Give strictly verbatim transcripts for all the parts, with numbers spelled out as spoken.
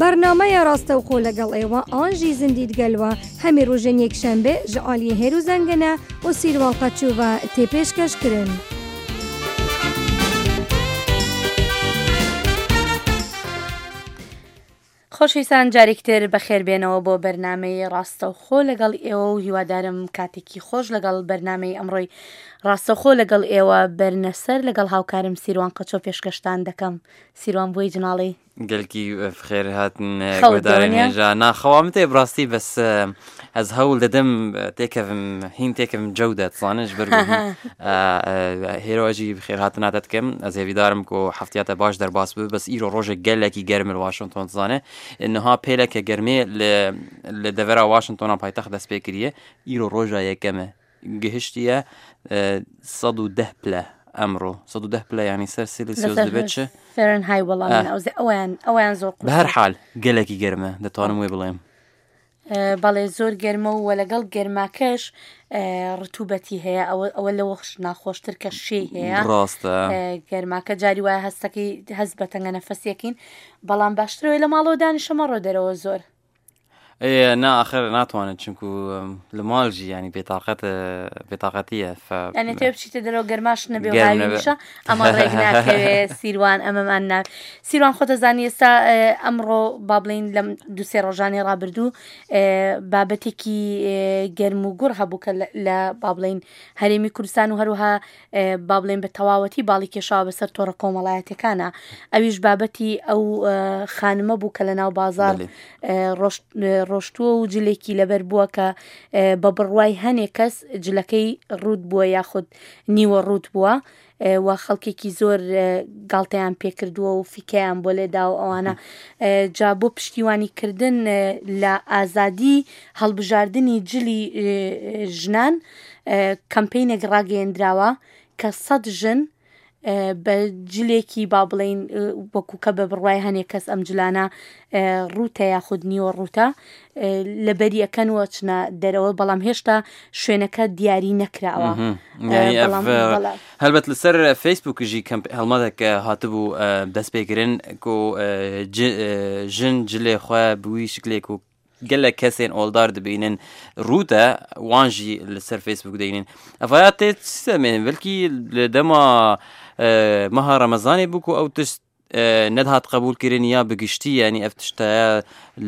بەرنامەیە ڕاستەوخۆ لەگەڵ ئێوە ئانژی زیندیت گەلوە هەمی ڕۆژên یەکشەنبێ ji aliyê Hêro Zengene û Sîrwan Qeçû ve tê pêşkeşkirin. خۆشەویستان جارێکتر بەخێربێنەوە بۆ بەرنامەی ڕاستەوخۆ لەگەڵ ئێوە و هیوادارم کاتێکی خۆش لەگەڵ بەرنامەی ئەمڕۆی ڕاستەوخۆ لەگەڵ ئێوە بەرنەسەر لەگەڵ هاوکارم سیروان قەچۆ پێشکەشتان دەکەم. سیروان بۆی جناڵی گەلکی بخێر هاتن گۆدارێن هێژا ناخەوام تێ بڕاستی بەس ئەز هەوڵ دەدەم تێکەوم هین تێکم جەودە تزانش بەر هێرۆژی بخێر هاتناتە دکەم ئەز هێویدارم کو هەفتیاتە باش دەرباس بوو بەس ئیرۆ ڕۆژێک گەلێکی گەرم لە واشنگتۆن تزانێ نها پێلەکە گەرمێ لە دەڤەرا واشنگتۆنا پایتەخت دەست پێ کریە ئیرۆ ڕۆژە یەکەمە گەهشتیە سەد و دە پلە ئەمڕۆ سەد و دە پلە یعنی سەر سیلسیۆس دەبێت چ فێرنهای وەڵام من ئەوزێ ئەویان ئەویان زۆر قورسە. بە هەر حال گەلێکی گەرمە دەتوانم وێ بڵێم. بەڵێ زۆر گەرمە و لەگەڵ گەرماکەش ڕتوبەتی هەیە، ئەوە ئەوە لەوە ناخۆشتر کە شێی هەیە. ڕاستە. گەرماکە جاری وایە هەستەکەی هەست بە تەنگە نەفەسیەکەین، بەڵام باشترەوەی لە ماڵەوە دانیشە مەڕۆ دەرەوە زۆر. ئێ نا ئاخر ناتوانێت چونکو لە ماڵ ژی ینی بێتاقەت بێتاقەتیە ف یعنی تێ بچیتە دەرەوە گەرماش نەبێ و گەرم هاوینیشە ئەمە ڕێک ناکەوێ. سیروان ئەمەمان نا سیروان خۆتەزانی ئێستا ئەمڕۆ با بڵێین لەم دوو سێ ڕۆژانی ڕابردوو بابەتێکی گەرم و گوڕ هەبوو کە لە با بڵێین هەرێمی کوردستان و هەروەها با بڵێن بە تەواوەتی باڵی کێشاوە بەسەر تۆڕە کۆمەڵایەتەکانە. ئەویش بابەتی ئەو خانمە بوو کە لە ناو بازار ڕۆشتووە و جلێکی لەبەر بووە کە بە بڕوای هەنێک کەس جلەکەی ڕووت بووە یاخود نیوە ڕووت بووە و خەڵکێکی زۆر گاڵتەیان پێکردووە و فیکەیان بۆ لێدا و ئەوانە. جا بۆ پشتیوانیکردن لە ئازادی هەڵبژاردنی جلی ژنان کەمپینێک ڕاگەیەندراوە کە سەد ژن بە جلێکی با بڵین وەکو کە بە بڕوای هەنێک کەس ئەم جلانە ڕووتە یاخود نیوە ڕووتە لەبەری ئەەکەن چنە دەرەوە، بەڵام هێشتا شوێنەکە دیاری نەکراوە. هەلبەت لەسەر فەیسبووکژی هەڵمەتێک هاتبوو دەست پێکردن کو ژن جلێ خۆ بووی شکلێک و گەلێک کەسێن ئۆڵدار دەبینن ڕووتە وانژی لەسەر فەیسبوک دەینن. ئەڤیا تێ سەمێن بەلکی لە دەما مەها ڕەمەزانێ بوو و ئەو تشت نەدهات قبولکردن یا بگشتی، ینی ئەف تشتایە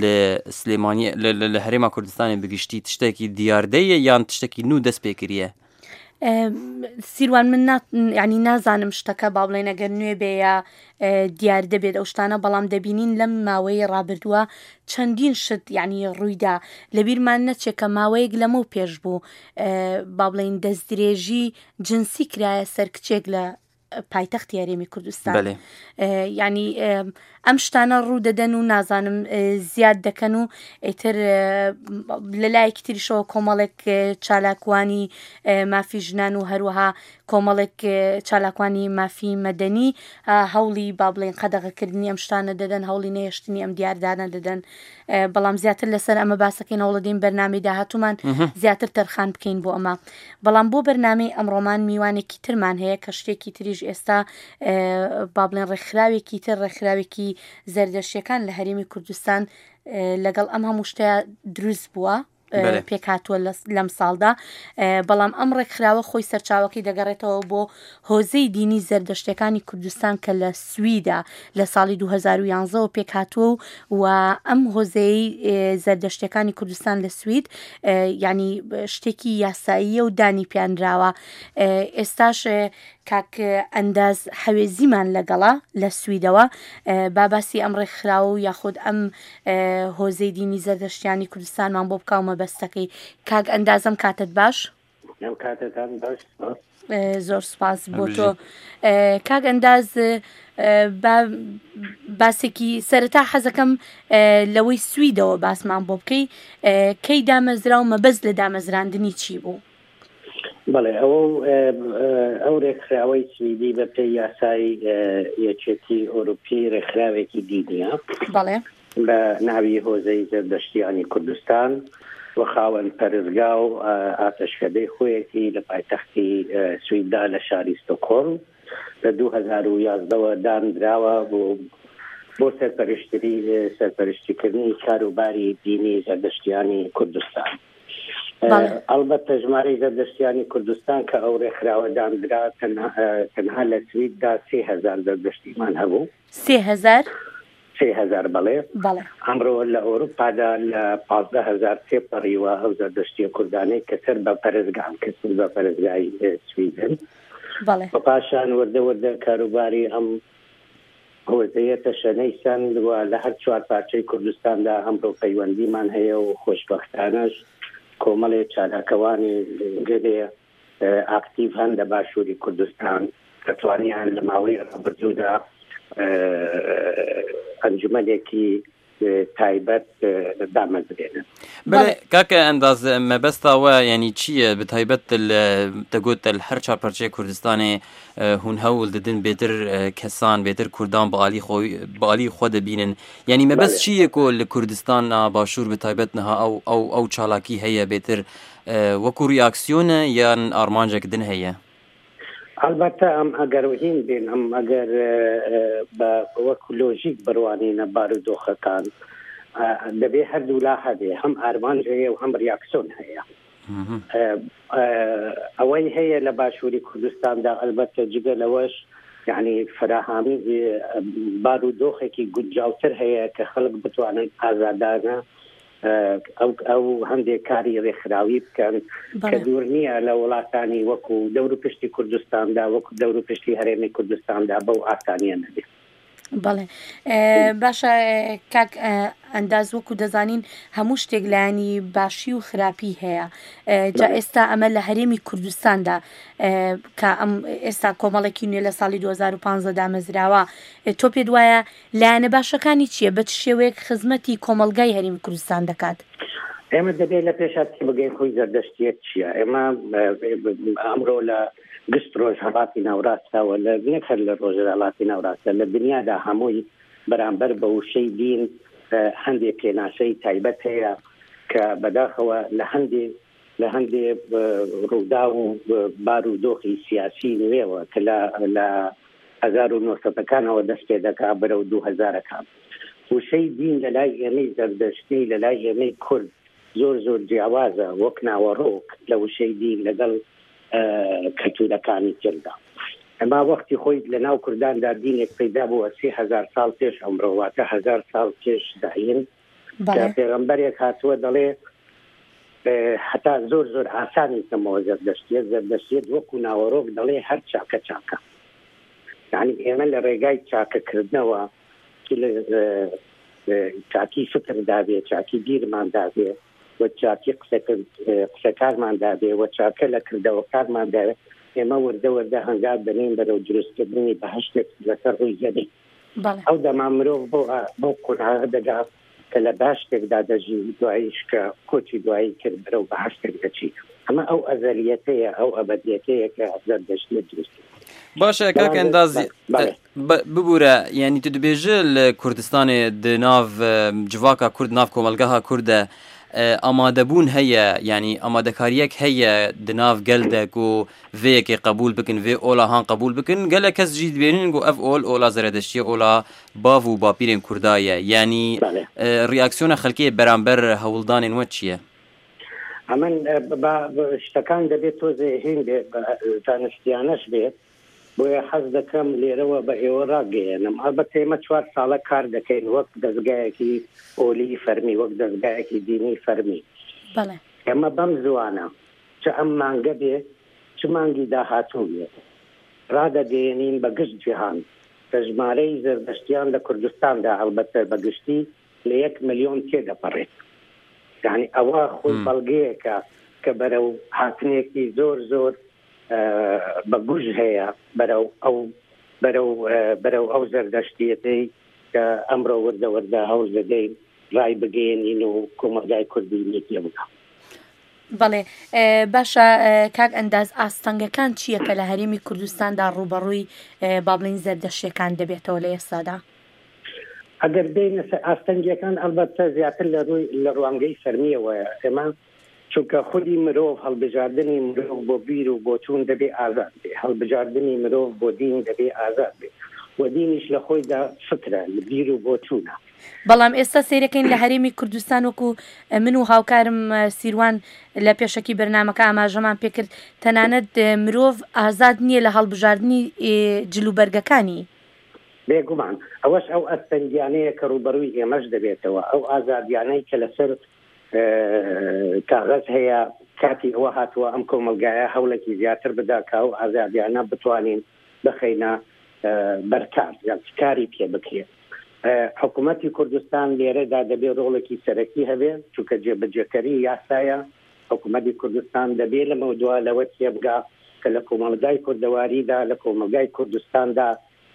لە سلێمانی لە هەرێما کوردستانی بگشتی تشتێکی دیاردەیە یان تشتێکی نوو دەست پێکردیە؟ سیروان من ینی نازانم شتەکە با بڵێن ئەگەر نوێ بێ یا دیار دەبێت ئەو شتانە، بەڵام دەبینین لەم ماوەیە ڕابردووە چەندین شت یعنی ڕوویدا. لەبیرمان نەچێت کە ماوەیەک لەمەو پێش بوو با بڵێن دەستدرێژی جنسی کرایە سەر کچێک لە پایتەختی هەرێمی کوردستان. یعنی ئەم شتانە ڕوو دەدەن و نازانم زیاد دەکەن و ئیتر لە لایەکی تریشەوە کۆمەڵێک چالاکوانی مافی ژنان و هەروەها کۆمەڵێک چالاکوانی مافی مەدەنی هەوڵی با بڵێن قەدەغەکردنی ئەم شتانە دەدەن، هەوڵی نەهێشتنی ئەم دیاردانە دەدەن. بەڵام زیاتر لەسەر ئەمە باسەکەین، هەوڵەدەین بەرنامەی داهاتوومان زیاتر تەرخان بکەین بۆ ئەمە. بەڵام بۆ بەرنامەی ئەمڕۆمان میوانێکی ترمان هەیە کە شتێکی تریش ئێستا با بڵێن ڕێکخراوێکی تر، ڕێکخراوێکی زەردەشتیەکان لە هەرێمی کوردستان لەگەڵ ئەم هەموو شتەیە دروست بووە، پێکهاتووە لەم ساڵدا. بەڵام ئەم ڕێکخراوە خۆی سەرچاوەکەی دەگەڕێتەوە بۆ هۆزەی دینی زەردەشتەکانی کوردستان کە لە سویدا لە ساڵی دوو هەزار و یانزەوە پێکهاتووە و ئەم هۆزەی زەردەشتەکانی کوردستان لە سوید یعنی شتێکی یاساییە و دانی پیانراوە. ئێستاش کاک ئەنداز حەوێزیمان لەگەڵا لە سویدەوە با باسی ئەم ڕێکخراوە و یاخود ئەم هۆزەی دینی زەردەشتیانی کوردستانمان بۆ بکاومە بەستەکەی. کاک ئەندازم کاتت باش؟ ئەم کاتتان باش. زۆر سپاس بۆ تۆ. کاک ئەنداز باسێکی سەرەتا حەزەکەم لەوەی سویدەوە باسمان بۆ بکەی، کەی دامەزرا و مەبەست لە دامەزراندنی چی بوو؟ بەڵێ، ئەو ئەو ڕێکخراوەی سویدی بە پێی یاسای یەکێتی ئەوروپی ڕێکخراوێکی دینیە. بەڵێ. بە ناوی هۆزەی زەردەشتیانی کوردستان و خاوەن پەرستگا و ئاتەشکەدەی خۆیەتی لە پایتەختی سویددا لە شاری ستۆکهۆڵم لە دوو هەزار و یازدەوە دانراوە بۆ بۆ سەرپەرشتری سەرپەرشتیکردنی کاروباری دینی زەردەشتیانی کوردستان. ئەلبەتە ژمارەی زەردەشتیانی کوردستان کە ئەو ڕێکخراوە داندرا تەنها لە سویددا سێ هەزار زەردەشتیمان هەبوو. سێ هەزار؟ سێ هەزار بەڵێ. ئەمڕۆ لە ئەوروپادا لە پازدە هەزار تێپەڕیوە ئەو زەردەشتیە کوردانەی کە سەر بە پەرستگان کە سەر بە پەرستگای سویدن. بە پاشان وردە وردە کاروباری ئەم هۆزەیە تەشەنەی سەند و لە هەر چوار پارچەی کوردستاندا ئەمڕۆ پەیوەندیمان هەیە و خۆشبەختانەش کۆمەڵێ چالاکەوانی گەلێ ئاکتیڤ هەن لە باشووری کوردستان کە توانیان لە ماوەی ڕابردوودا ئەنجومەنێکی تایبەت دامەزرێنن. بەڵێ کاکە ئەنداز مەبەستاوە یعنی چییە بە تایبەت دەگوت هەر چوار پارچەی کوردستانێ هون هەوڵ دەدن بێتر کەسان بێتر کوردان بە عالی خۆی بە عالی خۆ دەبینن، یعنی مەبەست چییە کۆ لە کوردستان باشوور بە تایبەت نها ئەو ئەو ئەو چالاکی هەیە بێتر وەکو ریاکسیۆنە یان ئارمانجێک دن هەیە؟ ئەلبەتە ئەم ئەگەر هین بین ئەم ئەگەر بە وەکو لۆژیک بڕوانینە بارودۆخەکان دەبێ هەردوو لا هەبێ، هەم ئارمانج هەیە و هەم ریاکسیۆن هەیە. ئەوەی هەیە لە باشووری کوردستاندا ئەلبەتە جگە لەوەش یعنی فراهامی بارودۆخێکی گونجاوتر هەیە کە خەڵک بتوانن ئازادانە ئەو ئەو هەندێک کاری ڕێکخراوی بکەن کە دوور نییە لە وڵاتانی وەکو دەور و پشتی کوردستاندا وەکو دەور و پشتی هەرێمی کوردستاندا بەو ئاسانیە نەبێت. بەڵێ باشە کاک ئەنداز، وەکو دەزانین هەموو شتێک لایەنی باشی و خراپی هەیە. جا ئێستا ئەمە لە هەرێمی کوردستاندا کە ئەم ئێستا کۆمەڵێکی نوێ لە ساڵی دوو هەزار و پازدە دامەزراوە، تۆ پێت وایە لایەنە باشەکانی چییە؟ بە چ شێوەیەک خزمەتی کۆمەڵگای هەرێمی کوردستان دەکات؟ ئێمە دەبێت لە پێشا تێبگەین خۆی زەردەشتیەت چییە. ئێمە ئەمڕۆ لە گشت ڕۆژهەڵاتی ناوڕاستەوە لە نەک هەر لە ڕۆژهەڵاتی ناوڕاستە لە دنیادا هەمووی بەرامبەر بە وشەی دین هەندێک پێناسەی تایبەت هەیە کە بەداخەوە لە هەندێک لە هەندێک ڕوودا و بارودۆخی سیاسی نوێوە کە لە هەزار و نۆسەدەکانەوە دەست پێ دەکا بەرەو دوو هەزارەکان. وشەی دین لە لای ئێمەی زەردەشتی لە لای ئێمەی کورد زۆر زۆر جیاوازە وەک ناوەڕۆک لە وشەی دین لەگەڵ کەلتورەکانی تردا. ئەما وەختی خۆی لە ناو کورداندا دینێک پەیدا بووە سێ هەزار ساڵ پێش ئەمڕۆ، واتە هەزار ساڵ پێش زایین، کە پێغەمبەرێک هاتووە دەڵێ هەتا زۆر زۆر ئاسانی کەمەوە زەردەشتیەت. زەردەشتیەت وەکو ناوەڕۆک دەڵێ هەر چاکە چاکە، یعنی ئێمە لە ڕێگای چاکەکردنەوە لە چاکی فکردا بێ، چاکی بیرماندا بێ و چاکی قسەکارماندا بێ و چاکە لە کردەوەکارماندا بێ، ئێمە وردە وردە هەنگاو دەنێین بەرەو دروستکردنی بەهەشتێک لەسەر ڕووی زەوی. ئەو دەما مرۆڤ بۆ بۆ قۆناغ دەگات کە لە باشتێکدا دەژی، دواییش کە کۆچی دوایی کرد بەرەو بەهەشتێک دەچی. ئەمە ئەو ئەزەلیەتەیە، ئەو ئەبەدیەتەیە کە زەردەشتیە دروست. باشە کاک ئەنداز ببوورە، یعنی تو دەبێژە لە کوردستانێ دناو جڤاکا کورد ناو کۆمەڵگەها کوردە ئامادەبوون هەیە، یعنی ئامادەکاریەک هەیە دناو گەلدەک و vêyekê qebûl bikin، vê ola han qebûl bikin. Gelek kes jî dibêjin ku ev ol ola Zeredeştiye, ola bav û bapîrên Kurda ye. Yani reaksiyona xelkê beramber hewldanên we çi ye؟ ئەمن شتەکان دەبێت تۆزێ هین بێ زانستیانەش بێت، بۆیە حەز دەکەم لێرەوە بە ئێوە ڕاگەیەنم. ئەلبەتە ئێمە چوار ساڵە کار دەکەین وەک دەزگایەکی ئۆلی فەرمی، وەک دەزگایەکی دینی فەرمی. ئێمە بەم زوانە چ ئەم مانگە بێ چ مانگی داهاتوو بێ ڕادەگەیەنین بە گشت جیهان کە ژمارەی زەردەشتیان لە کوردستاندا ئەلبەتە بە گشتی لە یەک ملیۆن تێدەپەڕێت. یعنی ئەوە خۆی بەڵگەیەکە کە بەرەو هاتنێکی زۆر زۆر بە گوژ هەیە بەرەو ئەو بەرەو بەرەو ئەو زەردەشتیەتەی کە ئەمڕۆ وردە وردە هەوڵ دەدەین ڕای بگەیەنین و کۆمەڵگای کوردی لێ تێبگا. بەڵێ باشە کاک ئەنداز، ئاستەنگەکان چییە کە لە هەرێمی کوردستاندا ڕووبەڕووی با بڵێین زەردەشتیەکان دەبێتەوە لە ئێستادا؟ ئەگەر بێینە سەر ئاستەنگیەکان ئەلبەتە زیاتر لە ڕووی لە ڕوانگەی فەرمیەوەیە. ئێمە چونکە خودی مرۆڤ هەڵبژاردنی مرۆڤ بۆ بیر و بۆچوون دەبێ ئازاد بێ، هەڵبژاردنی مرۆڤ بۆ دین دەبێ ئازاد بێ. و دینیش لە خۆیدا فکرە، لە بیر و بۆچوونە. بەڵام ئێستا سەیرەکەین لە هەرێمی کوردستان وەکو من و هاوکارم سیروان لە پێشەکی بەرنامەکە ئاماژەمان پێکرد، تەنانەت مرۆڤ ئازاد نییە لە هەڵبژاردنی جلوبەرگەکانی. بێگومان ئەوەش ئەو ئەستەنگیانەیە کە ڕووبەڕووی ئێمەش دەبێتەوە، ئەو ئازادیانەی کە لەسەر کاغەز هەیە کاتی ئەوە هاتووە ئەم کۆمەلگایە هەوڵێکی زیاتر بدا کە ئەو ئازادیانە بتوانین بخەینە بەرکار یان کاری پێ بکرێت. حکوومەتی کوردستان لێرەدا دەبێت ڕۆڵێکی سەرەکی هەبێت، چونکە جێبەجێکەری یاسایە. حکوومەتی کوردستان دەبێت لەمە دوا لەوە تێبگا کە لە کۆمەلگای کوردەواریدا، لە کۆمەلگای کوردستاندا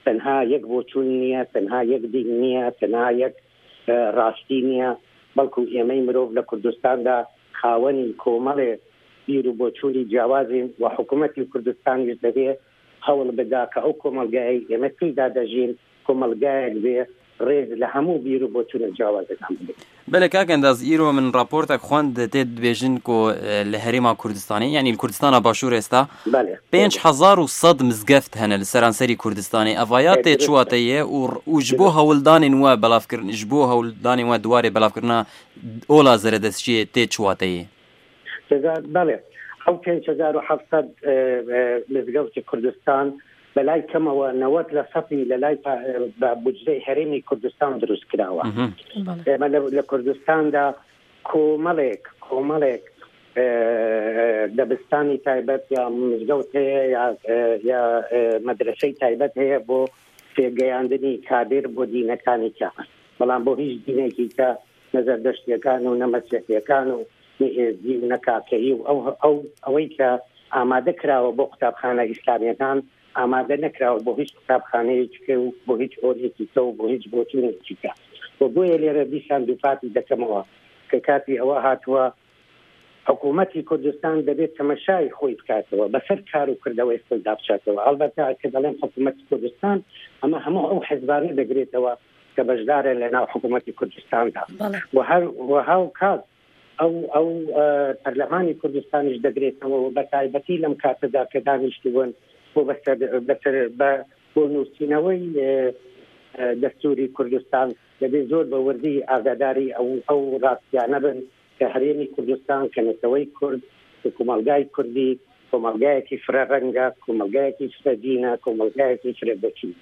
تەنها یەک بۆچوون نییە، تەنها یەک دین نییە، تەنها یەک ڕاستی نییە، بەڵکو ئێمەی مرۆڤ لە کوردستاندا خاوەنی کۆمەڵێ بیر و بۆچوونی جیاوازین و حکوومەتی کوردستانیش دەبێت هەوڵ بدا کە ئەو کۆمەلگای ئێمە تێیدا دەژین کۆمەلگایەک بێ ڕێز لە هەموو بیر و بۆچوونە جیاوازەکان بگرێت. بەلێ کاک ئەنداز، ئیرۆ من راپۆرتێک خوند تێ دبێژن کۆ لە هەرێما کوردستانی، یعنی کوردستانە باشوور ئێستا پێنج هەزار و سەد مزگەفت هەنە لە سەرانسەری کوردستانی. ئەڤایا تێ چواتەیە و ji بۆ هەوڵدانên we belavkirin، ji بۆ هەوڵدانên we دوارê belavkirina ola zeredestçiyê tê çuwateyê؟ بەڵێ، ئەو پێنج هەزار و حەفت سەد مزگەوتی کوردستان بەلای کەمەوە نەوەد لە سەدی لە لای بە بودجەی هەرێمی کوردستان دروست کراوە. ئێمە لە کوردستاندا کۆمەڵێک کۆمەڵێک دەبستانی تایبەت یا مزگەوت هەیە یا مەدرسەی تایبەت هەیە بۆ پێگەیاندنی کادر بۆ دینەکانی کە، بەڵام بۆ هیچ دینێکی کە نەزەردەشتیەکان و نەمەسیحیەکان و نەئێزدی و نەکاکەیی و ئەو ئەوەی کە ئامادە کراوە بۆ قوتابخانە ئیسلامیەکان ئامادە نەکراوە بۆ هیچ قوتابخانەیەکی و بۆ هیچ ئۆلێکی کە و بۆ هیچ بۆچوونێکی کە. و بۆیە لێرە دیسان دووپاتی دەکەمەوە کە کاتی ئەوە هاتووە حکوومەتی کوردستان دەبێت تەمەشای خۆی بکاتەوە، بەسەر کار و کردەوەی خۆیدا بچاتەوە. ئەلبەتە کە دەڵێم حکوومەتی کوردستان ئەمە هەموو ئەو حزبانە دەگرێتەوە کە بەشدارن لە ناو حکوومەتی کوردستاندا و هەر و هاوکات ئەو ئەو پەرلەمانی کوردستانیش دەگرێتەوە و بە تایبەتی لەم کاتەدا کە دانیشتبوون بۆ بەسەر بەسەر بۆ نووسینەوەی دەستوری کوردستان دەبێت زۆر بە وردی ئاگاداری ئەو ئەو ڕاستیانە بن کە هەرێمی کوردستان، کە نەتەوەی کورد، کە کۆمەلگای کوردی کۆمەلگایەکی فرە ڕەنگە، کۆمەلگایەکی فرە دینە، کۆمەلگایەکی فرە بۆچوون.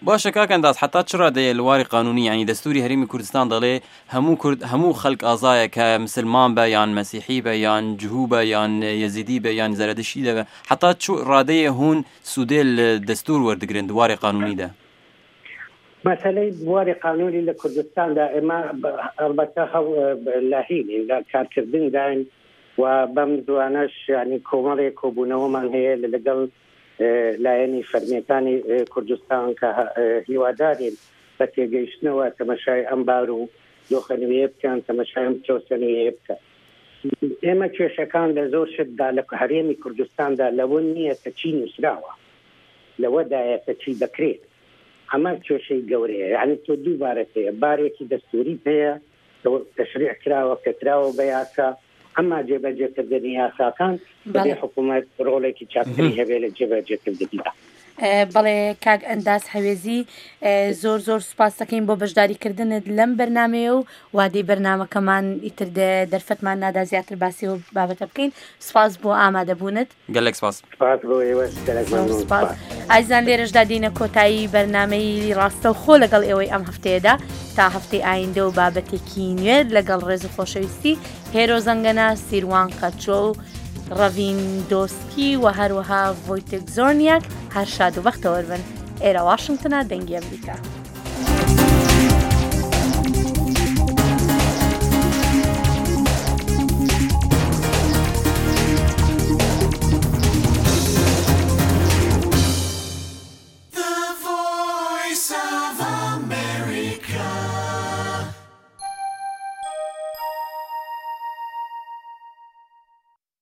باشە کاک ئەنداز، حتا چ ڕادەیە لە واری قانونی، یعنی دەستوری هەرێمی کوردستان دەڵێ هەموو کورد هەموو خەڵک ئازایە کە مسلمان بە یان مەسیحی بە یان جهوو بە یان یەزیدی بە یان زەرەدشی دەبە، حتا چ ڕادەیە هون سوودێ لە دەستور وەردەگرن دوارێ قانونیدا؟ مەسەلەی بواری قانونی لە کوردستاندا ئێمە ئەلبەتە لاهین لە کارکردنداین و بەم زوانەش یعنی کۆمەڵێک کۆبوونەوەمان هەیە لەگەڵ لایەنی فەرمیەکانی کوردستان کە هیوادارین بە تێگەیشتنەوە تەمەشای ئەم بار و دۆخە نوێیە بکەن، تەمەشای ئەم پرۆسە نوێیە بکەن. ئێمە کێشەکان لە زۆر شتدا لە هەرێمی کوردستاندا لەوە نییە کە چی نووسراوە، لەوەدایە کە چی دەکرێت. ئەمە کێشەی گەورەیە. یعنی تۆ دوو بارت هەیە، بارێکی دەستوری هەیە تەشریع کراوە کە کراوە بە یاسا، ئەما جێبەجێکردنی یاساکان دەبێ حکوومەت ڕۆڵێکی چاکتری هەبێت لە جێبەجێکردنیدا. بەڵێ کاک ئەنداز حەوێزی، زۆر زۆر سوپاس دەکەین بۆ بەشداریکردنت لەم بەرنمەیە و وادەی بەرنمەکەمان ئیتر دەرفەتمان نادا زیاتر باسی و بابەتە بکەین. سوپاس بۆ ئامادەبوونت. گەلێک سوپاس. سوپاس بۆ ئێوەش، گەلێک مەمنون. سوپاس. ئازیزان لێرەشدا دێینە کۆتایی بەرنمەی ڕاستەوخۆ لەگەڵ ئێوەی ئەم هەفتەیەدا تا هەفتەی ئایندە و بابەتێکی نوێ لەگەڵ ڕێز و خۆشەویستی هێرۆ زەنگەنە، سیروان قەچۆ و ڕەڤین دۆسکی و هەروەها ڤۆیتێک زۆرنیاک. هەر شاد و بەختەوەر بن. ئێرە واشنگتنە، دەنگی ئەمریکا.